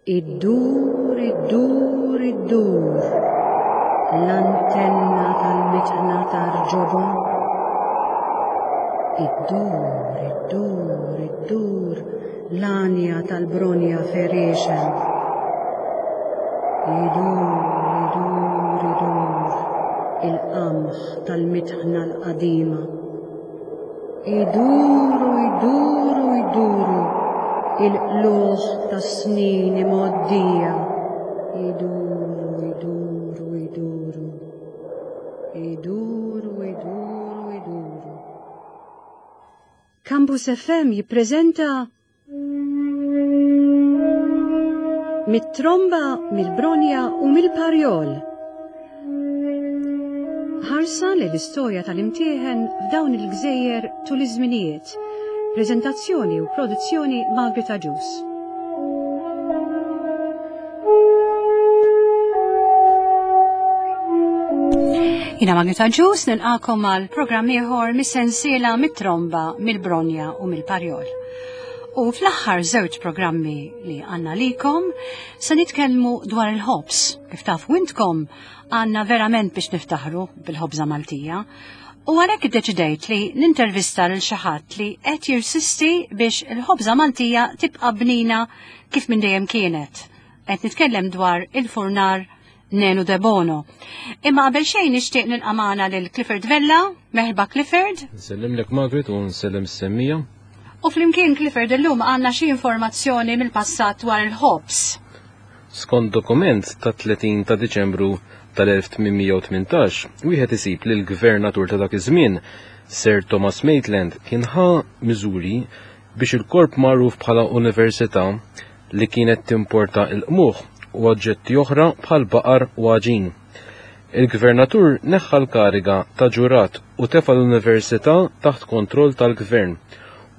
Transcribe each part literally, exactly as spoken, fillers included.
Iddur, iddur, iddur, l-antenna tal-mitħna tar-ġobon. Iddur, iddur, iddur, l-għanja tal-bronja ferixen. Idur, idur, idur, il-qamħ tal-mitħna l-qadima. Iduru, iduru, iduru, il-qluħ tas-snin imgħoddija. Iduru, iduru, iduru. Iduru, iduru, iduru. Campus F M jippreżenta Mit-tromba, mill-bronja u mill-parjol. Ħarsa li l-istorja tal-imtieħen f'dawn il-gżejjer tul iż-żminijiet. Preżentazzjoni u produzzjoni Margaret Agius. Jina Margaret Agius nilqakom għal programm ieħor mis-sensiela mit-tromba, mill-bronja u mill-parjol. U fl-aħħar żewġ programmi li għandna likom se nitkellmu dwar il-ħobż. Kif tafu intkom għandna verament biex niftaħru bil-ħobża Maltija. U għalhekk iddeċidejt li nintervista lil xi ħadd li qed jirsisti biex il-ħobża Maltija tibqa' bnina kif minn dejjem kienet. Qed nitkellem dwar il-furnar Nenu Debono. Imma qabel xejn nixtieq nilqa' magħna lil Clifford Vella. Merħba Clifford. Nsellimlek Margaret u nsellem is-semmija. U flimkien Clifford illum għandna xi informazzjoni mill-passat dwar il-ħobż. Skont dokument ta' tletin ta' Diċembru tal-elf tmien mija u tmintax, wieħed isib li l-gvernatur ta' dak iż-żmien, Sir Thomas Maitland, kien ħa miżuri biex il-korp magħruf bħala università li kienet timporta il-qmuħ u oġġetti oħra bħal baqar u għaġin. Il-gvernatur neħħa l-kariga ta' ġurat u tefa' l-università taħt kontroll tal-gvern.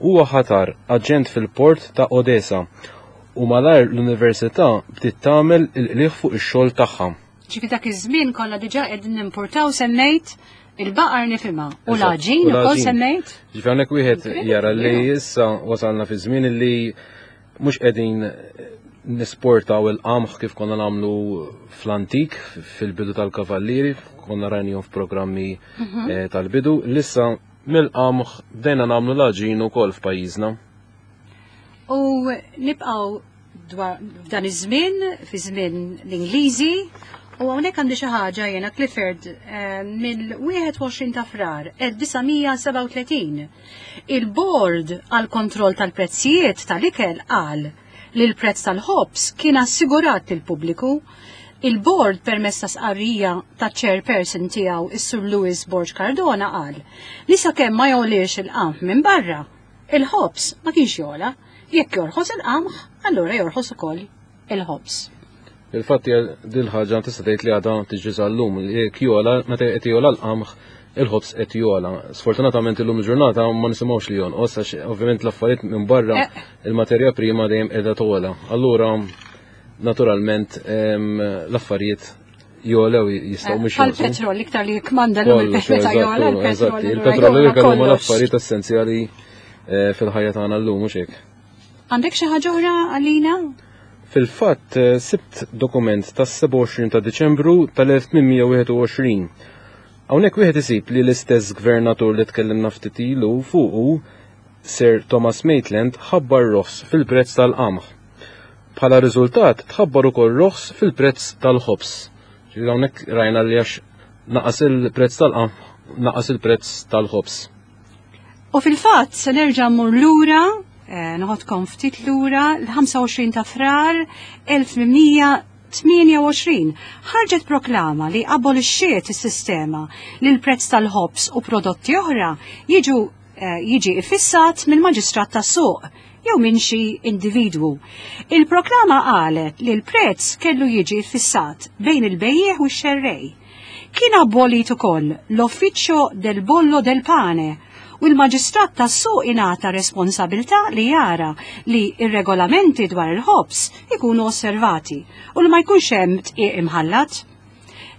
Huwa ħatar aġent fil-port ta' Odessa u malajr l-università bdiet tagħmel il-qligħ fuq ix-xogħol tagħha. Ġifi dak iż-żmien konna diġà qegħdin nimportaw semmejt il-baqar nifhimha u Eżatt, l-għaġin u ukoll l-għaġin. semmejt. Ġifi hawnhekk wieħed Incredible, jara li yeah. issa wasalna fi żmien li mhux qegħdin nisportaw il-qamħ kif konna nagħmlu fl-antik, fil-bidu tal-kavallieri, konna rajnihom f'programmi, Mhm. eh, tal-bidu, lissa mill-qamħ bdejna nagħmlu l-għaġin ukoll f'pajjiżna. U nibqgħu dwar f'dan iż-żmien, fi żmien l-Ingliżi, u hawnhekk għandi xi ħaġa jiena Clifford, eh, mill-wieħed u għoxrin ta' Frar elf disa' mija sebgħa u tletin. Il-Board għal kontroll tal-prezzijiet tal-ikel qal li l-prezz tal-ħobż kien assigurat lill-pubbliku. Il-Board permezz ta' sqarrija ta' chairperson tiegħu is-Sur Louis Borg Cardona qal li sakemm ma jogħliex il-qamħ minn barra, il-ħobż ma kienx jogħla. Jekk jorħos il-qamħ, allura jorħos ukoll il-ħobż. Il-fatt hija din ħaġa tista' tgħid li għadha tiġi sal-lum, jekk jogħla, meta qed jogħla l-qamħ, il-ħobż qed jogħla. Sfortunatament illum il-ġurnata ma nisimgħux li jonqos għax ovvjament l-affarijiet minn barra Eh. il-materja prima dejjem qiegħda togħla. Allura naturalment, em, l-affarijiet jogħlew jistgħu mhux Bħal jonqsu. petrol, iktar li jikmanda llum Kollox, il-petrol eżatt, jogħla, il-petrol eżatt. allura Il-petrol jogħla huma kollox. l-affarijiet essenzjali, eh, fil-ħajja tagħna llum, mhux hekk. Għandek xi ħaġa oħra għalina? Fil-fatt, eh, sibt dokument tas-sebgħa u għoxrin ta' Diċembru tal-elf tmien mija wieħed u għoxrin. Hawnhekk wieħed isib li l-istess gvernatur li tkellimna ftit ilu fuqu, Sir Thomas Maitland, ħabbar roħs fil-prezz tal-qamħ. Bħala riżultat tħabbar ukoll roħs fil-prezz tal-ħobż. Ġifieri hawnhekk rajna li għax naqas il-prezz tal-qamħ, naqas il-prezz tal-ħobż. U fil-fatt se nerġa' mmur lura, eh, noħodkom ftit lura, l-ħamsa u għoxrin ta' Frar elf tmien mija tmienja u għoxrin ħarġet proklama li abolixxiet is-sistema li l-prezz tal-ħobż u prodotti oħra jiġu, eh, jiġi iffissat mill-maġistrat tas-suq jew minn xi individwu. Il-proklama qalet li l-prezz kellu jiġi iffissat bejn il-bejjiegħ u x-xerrej. Kien abolit ukoll l-Uffiċċju del Bollo del Pane u l-maġistrat tas-suq ingħata responsabilità li jara li ir-regolamenti dwar il-ħobż ikunu osservati u li ma jkunx hemm tqiegħ imħallat.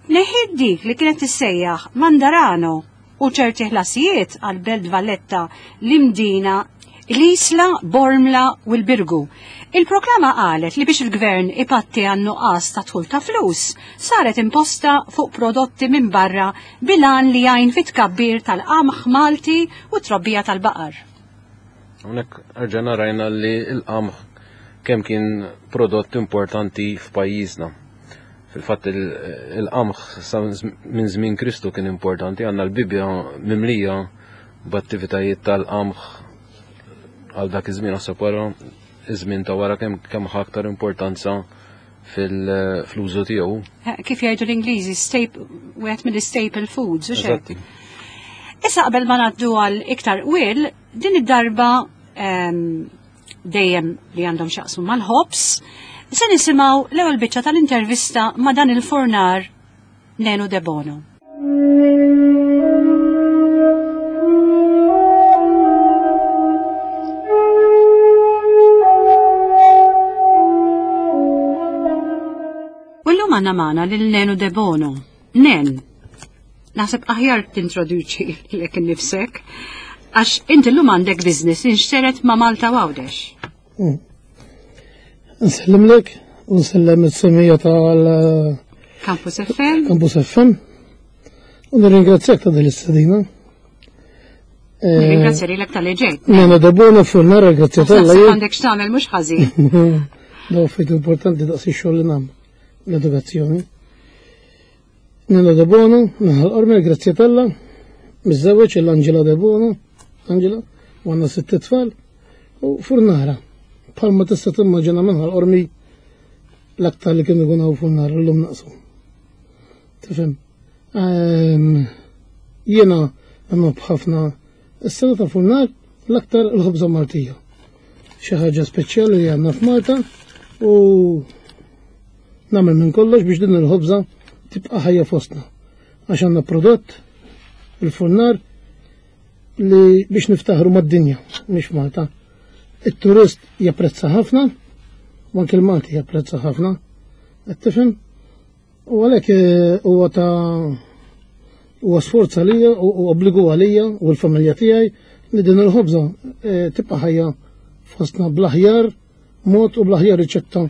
Neħid dik li kienet tissejjaħ Mandarano u ċerti ħlasijiet għal Belt Valletta, l-Imdina, l-Isla, Bormla u l-Birgu. Il-proklama qalet li biex il-gvern ipatti għan-nuqqas ta' dħul ta' flus, saret imposta fuq prodotti minn barra bil-għan li jgħin fit-tkabbir tal-qamħ Malti u trobbija tal-baqar. Hawnhekk erġajna rajna li l-qamħ kemm kien prodott importanti f'pajjiżna. Fil-fatt il-qamħ minn żmien Kristu kien importanti, għandna l-Bibbja mimlija b'attivitajiet tal-qamħ għal dak iż-żmien, naħseb wara iż-żmien ta' wara kemm kemm ħa aktar importanza fil-użu tiegħu. Kif jgħidu l-Ingliżi, wieħed mill-staple foods, u xejn. Issa qabel ma ngħaddu għal iktar qwiel, din id-darba dejjem li għandhom x'jaqsmu mal-ħobż, se nisimgħu l-ewwel biċċa tal-intervista ma' dan il-furnar Nenu Debono. U llum għandna magħna lil Nenu Debono. Nen, naħseb aħjar tintroduċi lilek innifsek, għax inti llum għandek business inxteret ma' Malta Għawdex. Nsellimlek u nsellem is-semija tal Campus F M. Campus F M. U nirringrazzjak ta' din l-istedina. Nirringrazzja lilek tal-li ġejt. Nenu Debono furnara, grazzja Naħseb tal-li. għandek x'tagħmel mhux ħażin. Daw fejt importanti daqs ix-xogħol li nagħmel, l-edukazzjoni. Nenu Debono, naħal Ormel, grazzja talla, miżżewweġ l-Angela Debono, Angela, u għandna sitt tfal, u furnara. Bħalma tista' timmaġina minħal Qormi l-aktar li kienu jkunu hawn furnara llum naqsu. Tifhem? Ehm, jiena nħobb ħafna is-sena ta' furnar l-aktar il-ħobża Maltija. Xi ħaġa speċjali li għandna f'Malta u nagħmel minn kollox biex din il-ħobża tibqa' ħajja fostna. Għax għandna prodott il-furnar li biex niftaħru mad-dinja, mhix Malta. Il-turist japprezza ħafna, u anke l-Malti japprezza ħafna, qed tifhem? U għalhekk, eh, huwa ta' huwa sforz għalija u, u obbligu għalija u l-familja tiegħi li din il-ħobża, eh, tibqa' ħajja fostna bl-aħjar mod u bl-aħjar riċetta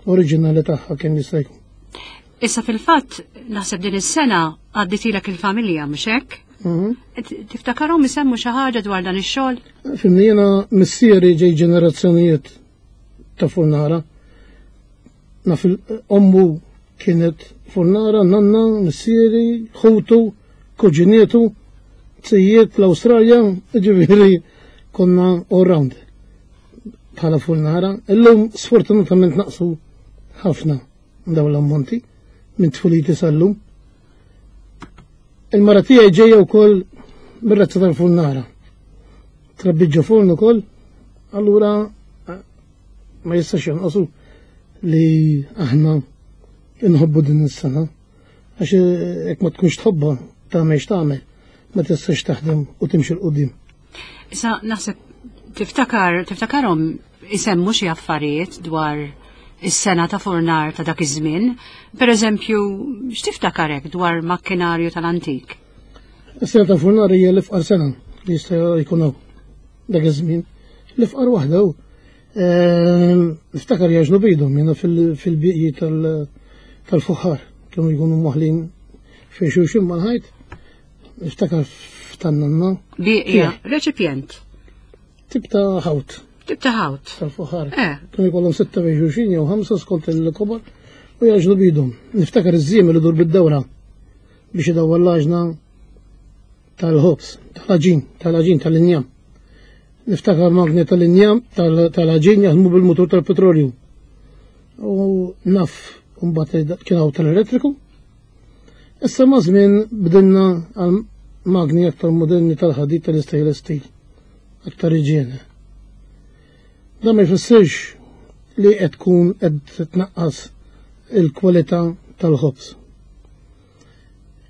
oriġinali tagħha kemm jista' jkun. Issa fil-fatt naħseb din is-sena għadditilek il-familja, mhux hekk? Mhm. T-, tiftakarhom isemmu xi ħaġa dwar dan ix-xogħol? Fimni, jiena missieri ġej ġenerazzjonijiet ta' furnara. Naf il-ommu kienet furnara, nanna, missieri, ħutu, kuġinietu, tzijiet l-Awstralja, ġifieri konna all round bħala furnara. Illum sfortunatament naqsu ħafna dawn l-ammonti minn tfuliti sal-lum. Il-mara tiegħi ġejja wkoll mir-razza tal-furnara. Trabbi ġo forn ukoll, allura ma jistax jonqosu li aħna nħobbu din is-sena. Għax jekk ma tkunx tħobbha tagħmel x'tagħmel, ma tistax taħdem u timxi 'l quddiem. Issa naħseb tiftakar, tiftakarhom isemmu xi affarijiet dwar is-sena ta' furnar ta' dak iż-żmien. Per eżempju, x'tiftakarek dwar makkinarju tal-antik? Is-sena ta' furnar hija l-ifqar sena li jista' jkun hawn dak iż-żmien. L-ifqar waħda hu. Ehm, niftakar jaġnu bidhom jiena fil-, fil-bieqji tal-, tal-fuħħar kienu jkunu moħlin fejn xulxin mal-ħajt. Niftakar f'tannanna. Bieqja, Fih. reċipjent. Tip ta' ħawt. Tip ta' ħawt. Tal-fuħħar. Eh. Kienu jkollhom sitta fejn xulxin jew ħamsa skont il-kobor u jaġnu bidhom. Niftakar iż-żiem li dur bid-dawra biex idawwar l-għaġna tal-ħobż, tal-għaġin, tal-għaġin tal-injam. Niftakar magni tal-injam, tal-, tal-għaġin jaħdmu bil-mutur tal-petrolju. U naf mbagħad kien hawn tal-elettriku. Issa ma' żmien bdilna għal magni aktar moderni tal-ħadid tal-stainless steel, aktar iġjene. Dan ma jfissirx li qed tkun qed titnaqqas il-kwalità tal-ħobż.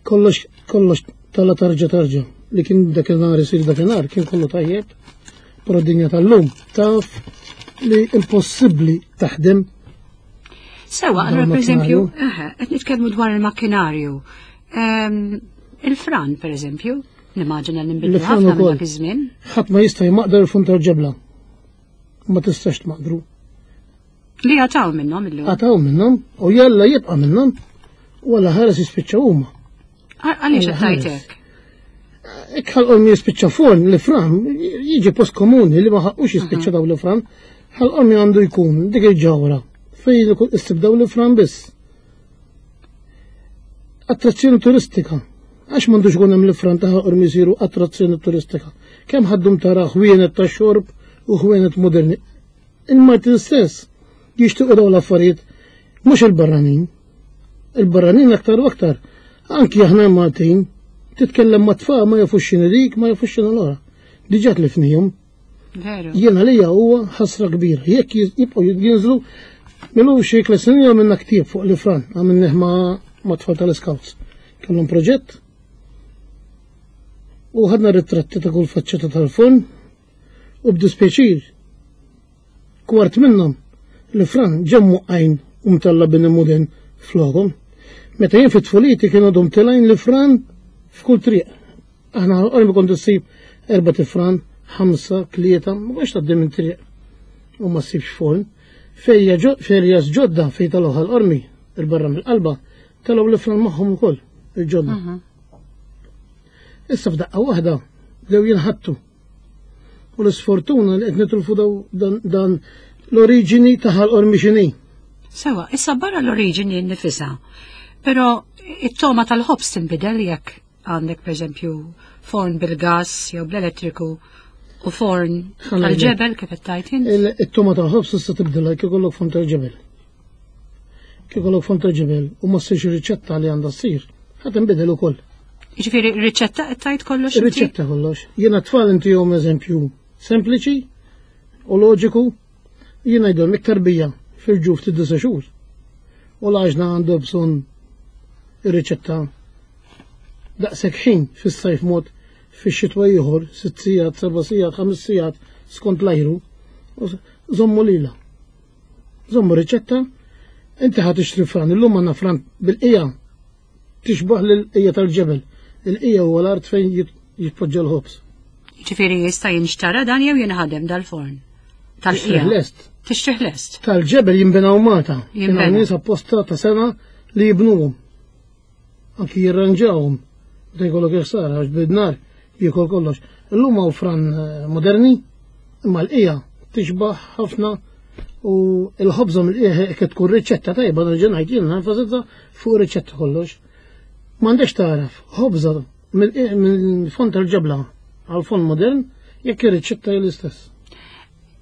Kollox, kollox tala tarġa tarġa li kien dakinhar isir dakinhar kien kollu tajjeb, però d-dinja tal-lum taf li impossibbli taħdem. Sewa, Dwar allora, per eżempju, makkinarju. eħe, qed nitkellmu dwar il-makkinarju. Ehm, il-fran, per eżempju, nimmaġina li nbidlu Il-fran ħafna minn ukoll. dak iż-żmien. Ħadd ma jista' jmaqdar il-fun tal-ġebla. Ma tistax tmaqdru. Li għataw minnhom illum. Għataw minnhom u jalla jibqa' minnhom u għalla ħares jispiċċaw huma. Għaliex qed tgħid hekk? Hekk Ħal Qormi jispiċċa forn li fran jiġi post komuni li ma ħaqqux jispiċċa daw li fran. Ħal Qormi għandu jkun dik il-ġawra fejn issib daw li fran biss. Attrazzjoni turistika. Għax m'għandux ikun hemm li fran ta' Ħal Qormi jsiru attrazzjoni turistika. Kemm ħaddum tara ħwienet ta' xorb u ħwienet moderni. Il-Maltin stess jixtiequ daw l-affarijiet mhux il-barranin. Il-barranin aktar u aktar. Anki aħna Maltin titkellem ma' tfal ma jafux x'inhi dik, ma jafux x'inhi l-oħra. Diġà tlifnihom. Veru. Jiena lija huwa ħasra kbira. Jekk jibqgħu jinżlu milu xi tliet snin għamilna ktieb fuq l-ifran, għamilnih ma' ma' tfal tal-Scouts. Kellhom proġett u ħadna ritratti ta' kull faċċata tal-forn u b'dispjaċir kwart minnhom l-ifran ġew għajn u mtella bini modern flokhom. Meta jien fit-tfuliti kienu għadhom telgħin l-ifran f'kull triq. Aħna Qormi kont issib erba' tifran, ħamsa, tlieta, ma kontx tgħaddi minn triq u ma ssibx forn. Fejja ferjas ġodda fejn telgħu Ħal Qormi, il-barra mill-qalba, telgħu l-ifran magħhom ukoll, il-ġodda. Issa f'daqqa waħda bdew jinħattu. U l-isfortuna li qed nitilfu dan, dan l-oriġini ta' Ħal Qormi x'inhi. Sewa, issa barra l-oriġini nifisha. Però it-toma tal-ħobż tinbidel jekk għandek per eżempju forn bil-gas jew bl-elettriku u forn tal-ġebel kif qed tgħid int. It-toma tal-ħobż tista' tibdilha kif ikollok forn tal-ġebel. Kif ikollok forn tal-ġebel u ma ssirx ir-riċetta li għandha ssir, ħa tinbidel ukoll. Jiġifieri r-riċetta qed tgħid kollox? Ir-riċetta kollox. Jiena tfal intihom eżempju sempliċi u loġiku, jiena ngħidilhom iktar bija fil-ġuf tid-disa' xhur. U l-għaġna għandu bżonn ir-riċetta daqshekk ħin fis-sajf mod fix-xitwa ieħor, sitt sigħat, seba' sigħat, ħames sigħat skont l-ajru. Żommu lilha. Żommu riċetta, inti ħa tixtri fran, illum għandna fran bil-qija tixbaħ lill-qija tal-ġebel. Il-qija huwa l-art fejn jitpoġġa l-ħobż. Ġifieri jista' jinxtara dan jew jinħadem dal-forn? Tal-qija. Tixtrih lest. Tixtrih lest. Tal-ġebel jinbinaw Malta. Kien hawn nies apposta ta' sena li jibnuhom. Anki jirranġawhom. Meta jkollok ħsara għax bid-nar jiekol kollox. Illum hawn fran moderni, imma l-qija tixbaħ ħafna u l-ħobża mill-qija hekk tkun riċetta tajba nerġa' ngħid jien nenfasizza fuq riċetta kollox. M'għandekx tagħraf ħobża mill-fond tal-ġebla għal fond modern jekk ir-riċetta hija l-istess.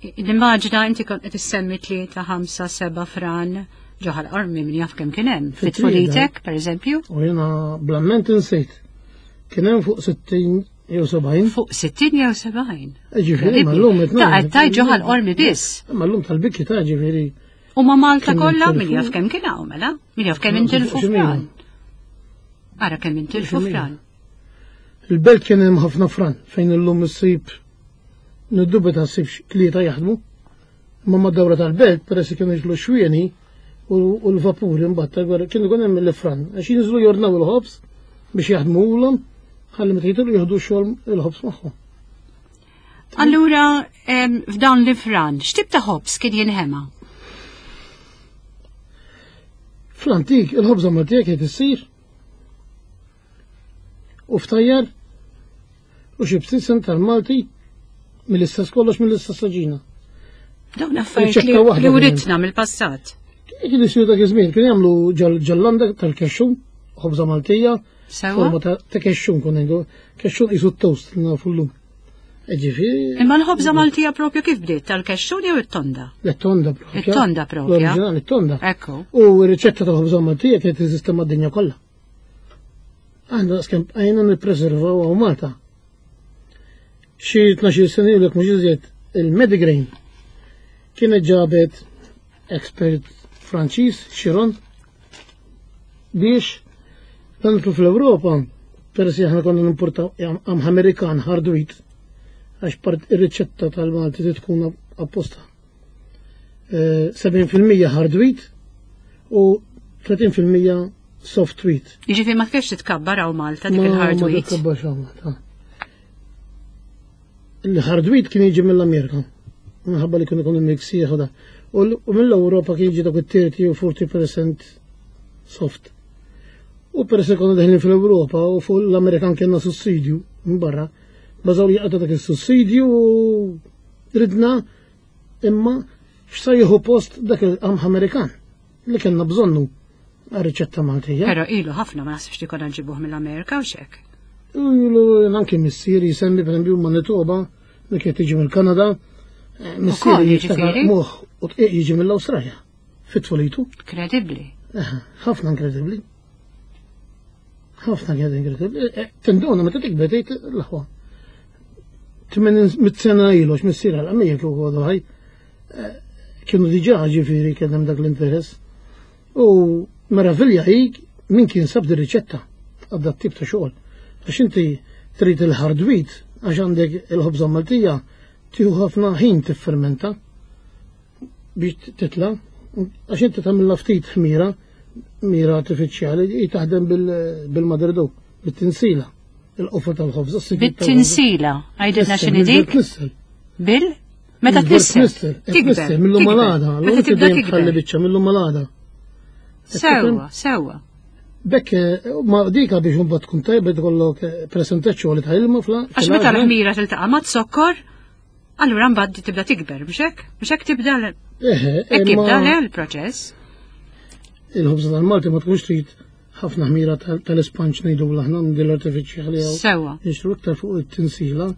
Nimmaġina inti kont qed issemmi tlieta, ħamsa, seba' fran ġo Ħal Qormi min jaf kemm kien hemm. Fit-tfulitek, pereżempju. U jiena bl-amment insejt. Kien hemm fuq sittin jew sebgħin. Fuq sittin jew sebgħin. Ġifieri, ma llum qed Ta' qed tgħid ġo Ħal Qormi biss. Ma llum tal-bikki ta' ġifieri. U ma' Malta kollha min jaf kemm kien hawn mela? Min jaf kemm intilfu fran. Ara kemm intilfu fran. Il-belt kien hemm ħafna fran fejn illum issib niddubita ssib tlieta jaħdmu. Imma mad-dawra tal-belt peress li kienu jiġlu xwieni u l-vapuri mbagħad tal-gwerra kienu jkun hemm il-fran għax jinżlu jornaw il-ħobż biex jaħdmuhom ħalli meta jitilqu jieħdu x-xogħol il-ħobż magħhom. Allura f'dawn l-ifran, x'tip ta' ħobż kien jinħema? Fl-antik il-ħobża Maltija kienet issir u ftajjar u xi bsisen tal-Malti mill-istess kollox mill-istess saġina. Dawn affarijiet li writna mill-passat. Kien isiru dak iż-żmien, kienu jagħmlu ġallanda tal-kexxun, ħobża Maltija, forma ta' kexxun kun ngħidu, kexxun qisu t-toast li nafu llum. Ġifieri. Imma l-ħobża Maltija propju kif bdiet, tal-kexxun jew it-tonda? It-tonda propja. It-tonda propja. L-oriġinali it-tonda. Ekku. U r-riċetta tal-ħobża Maltija kienet teżisti mad-dinja kollha. Aħna daqskemm bqajna nippreservaw hawn Malta. Xi tnax-il sena ilu jekk mhux iżjed il-Medigrain kienet ġabet expert Franċiż, Chiron, biex dan fl-Ewropa, peress li aħna konna nimportaw am Amerikan hard wheat, għax part ir-riċetta tal-Malti trid tkun apposta. sebgħin fil-mija hard wheat u tletin fil-mija soft wheat. Jiġifieri ma kienx titkabbar hawn Malta dik il-hard Ma wheat. titkabbarx hawn Malta. Il-hard wheat kien jiġi mill-Amerika, minħabba li kienu jkunu miksieħ u da. U mill-Ewropa kien jiġi dak it-thirty u forty percent soft. U peress li konna deħlin fl-Ewropa u fuq l-Amerikan kellna sussidju minn barra, bażaw li jaqta' dak is-sussidju u ridna imma x'sa jieħu post dak il-qamħ Amerikan li kellna bżonnu għar-riċetta Maltija. Però ilu ħafna, ma naħsibx li konna nġibuh mill-Amerika u xek. Ilu anke missieri jisemmi, per esempio, Manitoba li kienet tiġi mill-Kanada, eh, missieri jiftakar qmuħ u dqiq jiġi mill-Awstralja fit-tfulitu. Kredibbli. Ħafna inkredibbli. Ħafna kienet inkredibbli. Eh, tinduna meta tikber tgħid l-aħwa. Tmien sena ilu x'missier għal kieku għadu ħaj. Eh, kienu diġà, ġifieri, kien hemm dak l-interess. U meravilja hi min kien sab di riċetta għadda tip ta' xogħol. Għax inti trid il-hard wheat, għax għandek il-ħobża Maltija tieħu ħafna ħin tiffermenta biex titla, għax inti tagħmilha ftit ħmira, mira artifiċjali, hi taħdem bil-mother dough, bit-tinsila, il-qofa tal-ħobża. Bit-tinsila, għajdilna x'inhi dik? Bil? Meta tnissel? Tikber. Mill-lum għal għada. Meta tibda tikber. Biċċa mill-lum għal għada. Sewwa, sewwa. Bekk, ma dika biex mbagħad tkun tajba tkollok percentaġġ li ta' ilma fla. Għax meta l-ħmira tiltaqa' ma' zokkor, allura mbagħad tibda tikber, mhux hekk? Mhux hekk tibda hekk jibda le l-proċess. Il-ħobża tal-Malti ma tkunx trid ħafna ħmira tal-isponge ngħidu aħna minn din l-artifiċjali. Sewwa. Nixtru iktar fuq it-tinsila.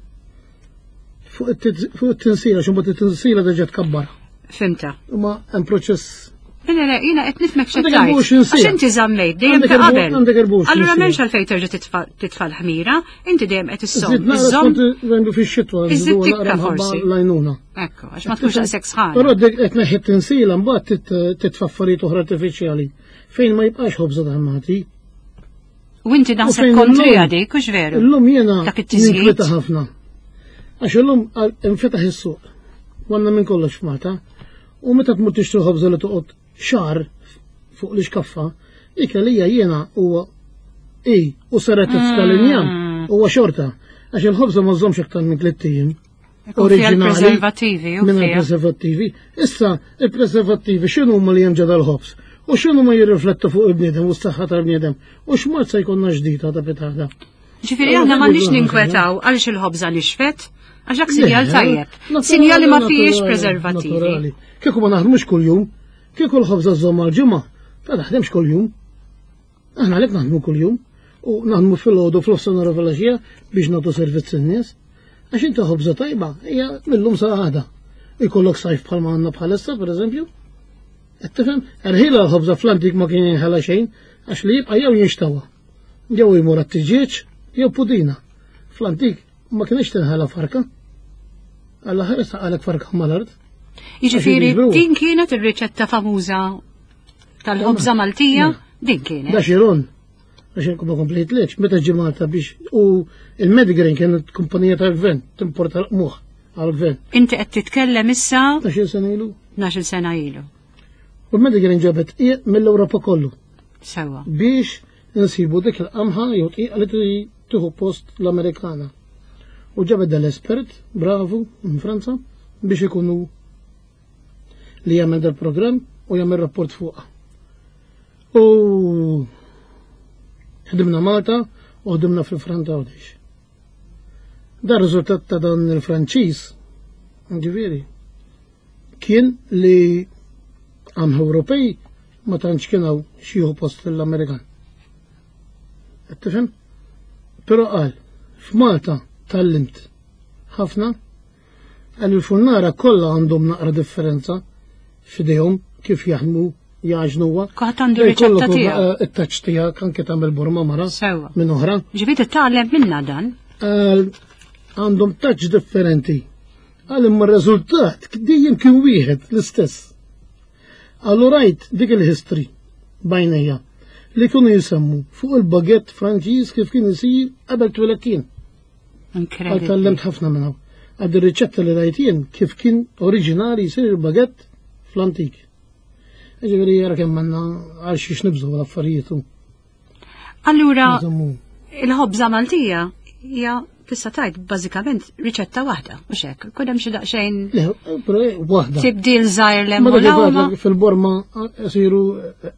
Fuq it-tinsila, x'imbagħad it-tinsila diġà tkabbar. Fhimtha. Ma hemm proċess. Le, le, jiena qed nifhmek x'qed tgħid. Għax inti żammejt dejjem ta' qabel. Allura m'hemmx għalfejn terġa' titfa' l-ħmira, inti dejjem qed issomm. Iżomm fix-xitwa. Iżid tikka forsi. Lajnuna. Ekku, għax ma tkunx daqshekk sħana. Però qed neħi tinsila, mbagħad titfa' affarijiet oħra artifiċjali fejn ma jibqax ħobża tal-Malti. U inti naħseb kontrija dik, hux veru? Illum jiena ninkweta ħafna. Għax illum infetaħ is-suq. Għandna minn kollox f'Malta. U meta tmur tixtri ħobża li toqgħod xahar fuq l-iskaffa, dik għalija jiena huwa i u saret tal-injam huwa xorta. Għax il-ħobża ma żommx aktar minn tliet ijiem. Oriġinali. Preservativi. Minn preservativi. Issa, il-preservativi x'inhu huma li hemm ġo dal-ħobż? U x'inhu ma jirriflettu fuq il-bniedem u s-saħħa tal-bniedem? U x'mod se jkollna ġdida ta' pitada? Ġifieri aħna m'għandniex ninkwetaw għaliex il-ħobża nixfet, għax dak sinjal tajjeb. Sinjali ma fijiex preservativi. Kieku ma naħdmux kuljum, kieku l-ħobża żomm għal-ġimgħa, ta' naħdemx kuljum. Aħna għalhekk naħdmu kuljum u naħdmu fil-ħodu, fl-ofsanhar, filgħaxija biex nagħtu servizz in-nies. Għax inti ħobża tajba hija millum sa għada. Ikollok sajf bħalma għandna bħalissa, pereżempju. Qed tifhem? Erħila l-ħobża fl-antik ma kien jinħela xejn, għax li jibqa' jew jinxtawa. Jew jmur għat-tiġieġ jew pudina. Fl-antik ma kienx tinħela farka. Alla ħares għalek farka mal-art. Jiġifieri din kienet ir-riċetta famuża tal-ħobża Maltija, din kienet. Da xiron, għax ma komplejt leċ, meta ġie Malta biex u il-Medigrain kienet kumpanija tal-gvern, timporta l-qmuħ għal-gvern. Inti qed titkellem issa tnax-il sena ilu. tnax-il sena ilu. U l-Medigrain ġabet dqiq mill-Ewropa kollu. Sewwa. Biex nsibu dik il-qamħa jew dqiq li tieħu post l-Amerikana. U ġabet dal-espert, bravu, minn Franza, biex ikunu li jagħmel dal-programm u jagħmel rapport fuqha. U ħdimna Malta u ħdimna fil-Franta Għawdex. Da riżultat ta' dan il-Franċiż, ġifieri, kien li qamħ Ewropej ma tantx kien hawn xi post l-Amerikan. Qed tifhem? Però qal, f'Malta tgħallimt ħafna, għal il-furnara kollha għandhom naqra differenza f'idejhom kif jaħdmu jagħġnuha. Kulħadd għandu riċetta tiegħu. It-touch tiegħek, anke tagħmel burma mara Sewwa. minn oħra. Ġifieri titgħallem minna dan. Għandhom touch differenti. Għal imma r-riżultat dejjem kien wieħed l-istess. Allura rajt dik il-history b'għajnejja li kienu jisemmu fuq il-baguette Franċiż kif kien isir qabel twelidt jien. Incredible. Tgħallimt ħafna minn hawn. Għad ir-riċetta li rajt jien kif kien oriġinali jsir il-baguette fl-antik. Ġifieri jara kemm għandna għal xiex nibżgħu l-affarijiet. Allura il-ħobża Maltija hija tista' tgħid bażikament riċetta waħda, mhux hekk. Kun hemm xi daqsxejn Le, però waħda. Tibdil żgħir Ma dak fil-Borma isiru eh,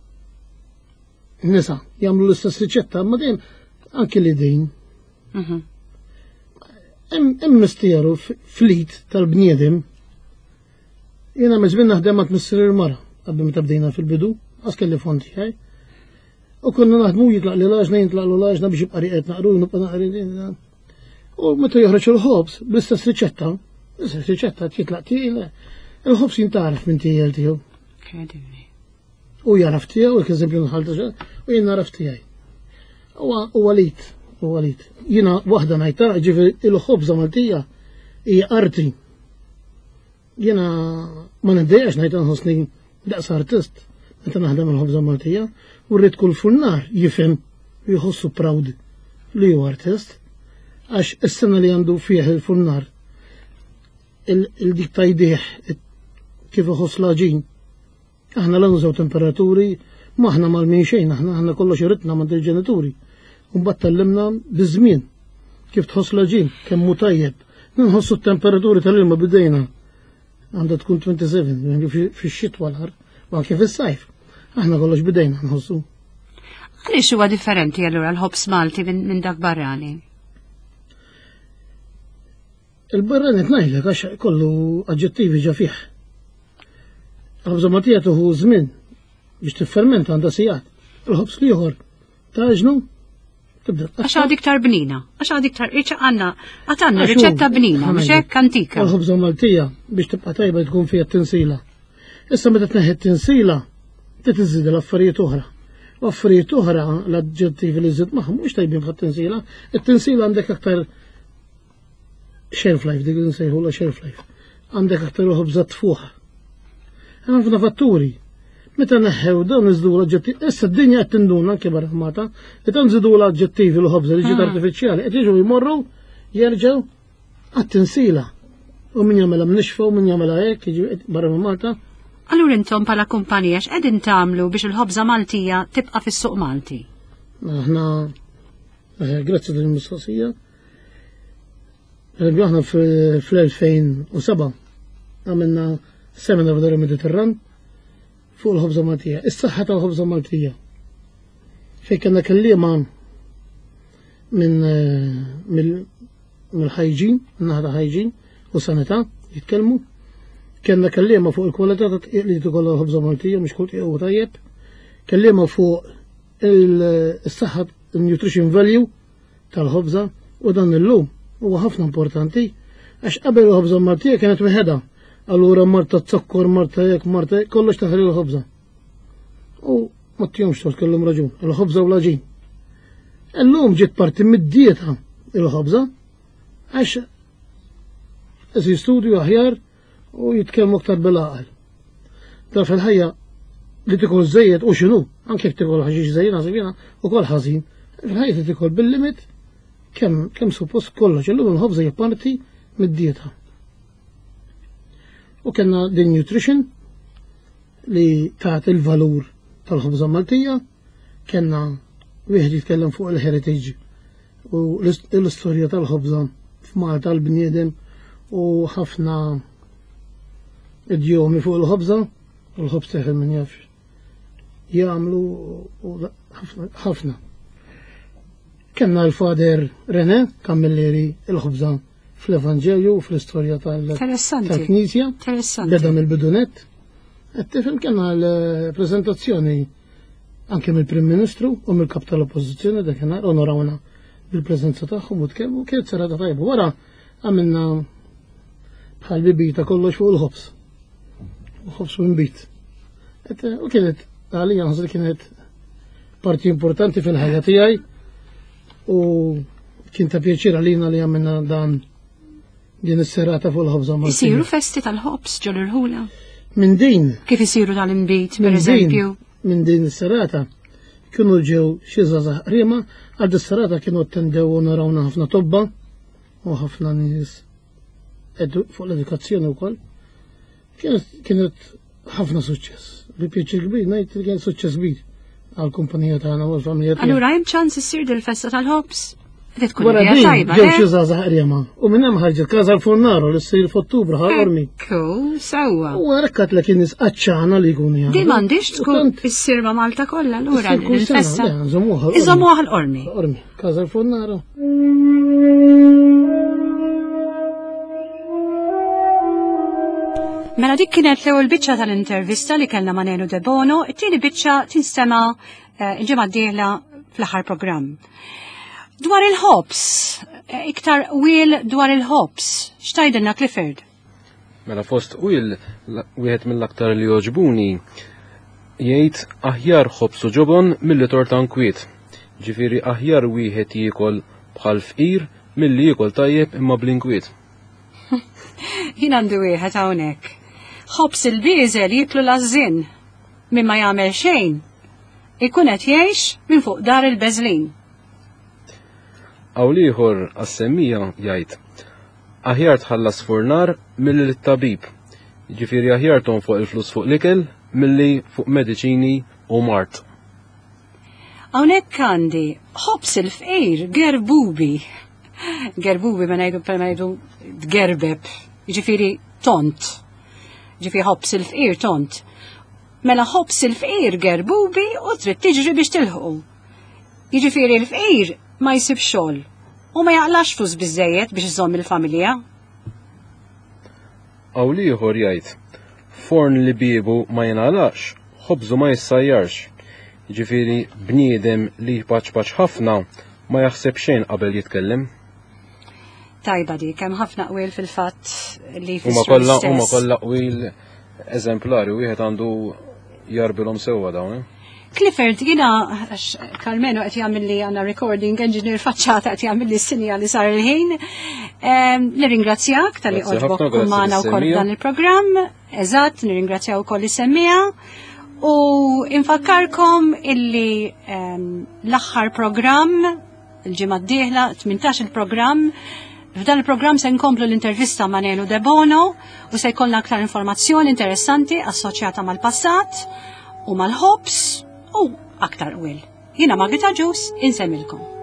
nisa jagħmlu l-istess riċetta, ma dejjem anke li din. Mhm. Hemm misteru flit tal-bniedem. Jiena meżmin naħdem għand missier il-mara qabel meta bdejna fil-bidu, għas kelli fond tiegħi. U konna naħdmu jitlaq li l-għaġna, jitlaq l-għaġna biex jibqa' riqet naqru, nibqa' naqri. U meta joħroġ il-ħobż bl-istess riċetta, l-istess riċetta jitlaq tiegħi, il-ħobż jintaraf minn tiegħi tiegħu. U jaraf tiegħu, eżempju nħalta, u jien naraf tiegħi. U għalit, u għalit. Jiena waħda ngħidha, ġifieri il-ħobża Maltija hija arti. Jiena ma niddejjax ngħid nħossni daqs artist meta naħdem il-ħobża Maltija, u rrid kull funnar jifhem u jħossu proud li hu artist, għax is-sena li għandu fih il-funnar il-dik tajdih kif iħoss l-għaġin. Aħna la nużaw temperaturi, ma aħna mal-min xejn, aħna aħna kollox iritna ma' il-ġenituri. U mbagħad tallimna biż-żmien kif tħoss l-għaġin, kemm hu tajjeb. Nħossu t-temperaturi tal-ilma bidejna għandha tkun tmien u sebgħin fix-xitwa l-ħar, u anke fis-sajf. Aħna kollox bidejna nħossu. Għaliex huwa differenti allura l-ħobż Malti minn dak barrani? Il-barrani tnajlek għax kollu aġġettivi ġa fih. Il-ħobża Maltija tuħu żmien biex tiffermenta għandha sigħat. Il-ħobż l-ieħor taġnu tibda. Għax għad iktar bnina, għax għad iktar għandna għad għandna riċetta bnina, mhux hekk antika. Il-ħobża Maltija biex tibqa' tajba tkun fiha t-tinsila. Issa meta tneħħi t-tinsila, titiżid l-affarijiet oħra. U affarijiet oħra l-aġġettivi li żid magħhom mhux tajbin bħat-tinsila. It-tinsila għandek aktar shelf life, dik li nsejħu la shelf life. Għandek aktar ħobża tfuħ. Hemm ħafna fatturi. Meta neħħew dawn iżdu l-aġġettivi, issa d-dinja qed tinduna anke barra Malta, li tan żidu l-aġġettivi l-ħobża li ġiet artifiċjali, qed jiġu jmorru jerġgħu għat-tinsila. U min jagħmilha mnixfa u min jagħmilha hekk jiġi barra minn Malta. Allura intom bħala kumpanija x'qegħdin tagħmlu biex il-ħobża Maltija tibqa' fis-suq Malti? Aħna eh, grazzi din il-mistoqsija. Eżempju, aħna fl-elfejn u seba' għamilna seminar f'Dar il-Mediterran fuq il-ħobża Maltija, is-saħħa tal-ħobża Maltija. Fejn kellna kelliema minn mill-ħajġin, min-naħa ta' ħajġin u sanità jitkellmu. Kellna kelliema fuq il-kwalità ta' tqiq li tkollha l-ħobża Maltija, mhux kull tqiq huwa tajjeb. Kelliema fuq il-saħħa, il-nutrition value tal-ħobża, u dan illum huwa ħafna importanti għax qabel il-ħobża Maltija kienet wieħedha. Allura marta zokkor, marta hekk, marta hekk, kollox taħri l-ħobża. U ma tihomx tort, kellhom raġun, il-ħobża u l-għaġin. Illum ġiet parti mid-dieta il-ħobża għax isir studju aħjar u jitkellmu aktar bil-għaqal. Da fil-ħajja li tikol żejjed u x'inhu, anke jekk tikol ħaxix żejjed naħseb jiena ukoll ħażin. Fil-ħajja li tikol bil-limit kemm kemm suppost kollox, illum il-ħobża hija parti mid-dieta. U kellna din nutrition li tagħti il-valur tal-ħobża Maltija, kellna wieħed jitkellem fuq il-heritage u l-istorja tal-ħobża f'Malta l-bniedem u ħafna idjomi fuq il-ħobża, u l-ħobż teħel min jaf jagħmlu u ħafna. Kellna l-Fader René Camilleri il-ħobża fl-Evanġelju u fl-istorja tal-Knisja. Interessanti. Beda mill-bidunet. Qed tifhem kellna l-preżentazzjoni anke mill-Prim Ministru u mill-Kap tal-Oppożizzjoni dakinhar onorawna bil-preżenza tagħhom u tkellmu, kienet serata tajba. Wara għamilna bħal bibita kollox fuq il-ħobż. U ħobż u nbid. U kienet għalija nħoss li kienet parti importanti fil-ħajja tiegħi u kien ta' pjaċir għalina li għamilna dan din is-serata fuq il-ħobża Maltija. Isiru festi tal-ħobż ġol irħula? Minn din. Kif isiru tal-inbid, per eżempju? Minn din is-serata kienu ġew xi żgħażagħ qriema, għal is-serata kienu attendew u narawna ħafna tobba u ħafna nies fuq l-edukazzjoni wkoll. Kienet ħafna suċċess. Bi pjaċir kbir ngħid li kien suċċess kbir għall-kumpanija tagħna u l-familja tagħna. Allura hemm ċans issir dil-festa tal-ħobż? Tkun Wara idea din tajba, ġew le? xi żgħażagħ qriema. U minn hemm ħarġet Casa l-Fornaro li ssir f'Ottubru Ħal Qormi. Ekku, sewwa. U għarekkat l kien nies qaċċana li jkunu jagħmlu. Di m'għandix U tkun tant issir ma' Malta kollha allura issir kull sena, il-festa. le, nżommuha Ħal Qormi. Iżommuha Ħal Qormi. Ħal Qormi, Casa l-Fornaro. Mela dik kienet l-ewwel biċċa tal-intervista li kellna ma' Nenu Debono, it-tieni biċċa tinstema' eh, il-ġimgħa d-dieħla fl-aħħar programm. Dwar il-ħobs, eh, iktar qwiel dwar il-ħobs, x'tgħidilna Clifford? Mela fost qwiel wieħed mill-aktar li jogħġbuni jgħid aħjar ħobs u ġobon milli torta nkwiet. Ġifieri aħjar wieħed jiekol bħal fqir milli jiekol tajjeb imma bl-inkwiet. Jien għandi wieħed hawnhekk. Ħobs il-bieżel jiklu l-għażżien min ma jagħmel xejn ikun qed jgħix minn fuq dar il-beżlin. Hawn ieħor għas-semmija jgħid aħjar tħallas furnar milli lit-tabib. Ġifieri aħjar tonfoq il-flus fuq l-ikel milli fuq mediċini u mard. Hawnhekk għandi ħobs il-fqir gerbubi. Gerbubi ma ngħidu ma ngħidu tgerbeb, jiġifieri tont. Ġifieri ħobs il-fqir tont. Mela ħobs il-fqir gerbubi u trid tiġri biex tilħqu. Jiġifieri l-fqir ma jsib xogħol u ma jaqlax flus biżejjed biex iżomm il-familja. Hawn ieħor jgħid forn li biebu ma jingħalaqx, ħobżu ma jissajjarx. Ġifieri bniedem li jpaċpaċ ħafna ma jaħseb xejn qabel jitkellem. Tajba dik, hemm ħafna qwiel fil-fatt li Huma jfissru kollha huma l-istess. kollha qwiel eżemplari, wieħed għandu jarbilhom sewwa dawn. Eh? Clifford, jina, għax Carmeno qed jagħmel li għandna recording engineer faċċata qed jagħmel li sinja li sar il-ħin. Ehm, Nirringrazzjak talli Grazzi għoġbok ħafna, grazzi magħna wkoll lis-semmija. dan il-programm. Eżatt, nirringrazzjaw ukoll is-semmija. U infakkarkom illi ehm, l-aħħar programm il-ġimgħa d-dieħla, tmintax il-programm. F'dan il-programm se nkomplu l-intervista ma' Nenu Debono u se jkollna aktar informazzjoni interessanti assoċjata mal-passat u mal-ħobs u aktar qwiel. Jiena Margit Agius, insemmilkom.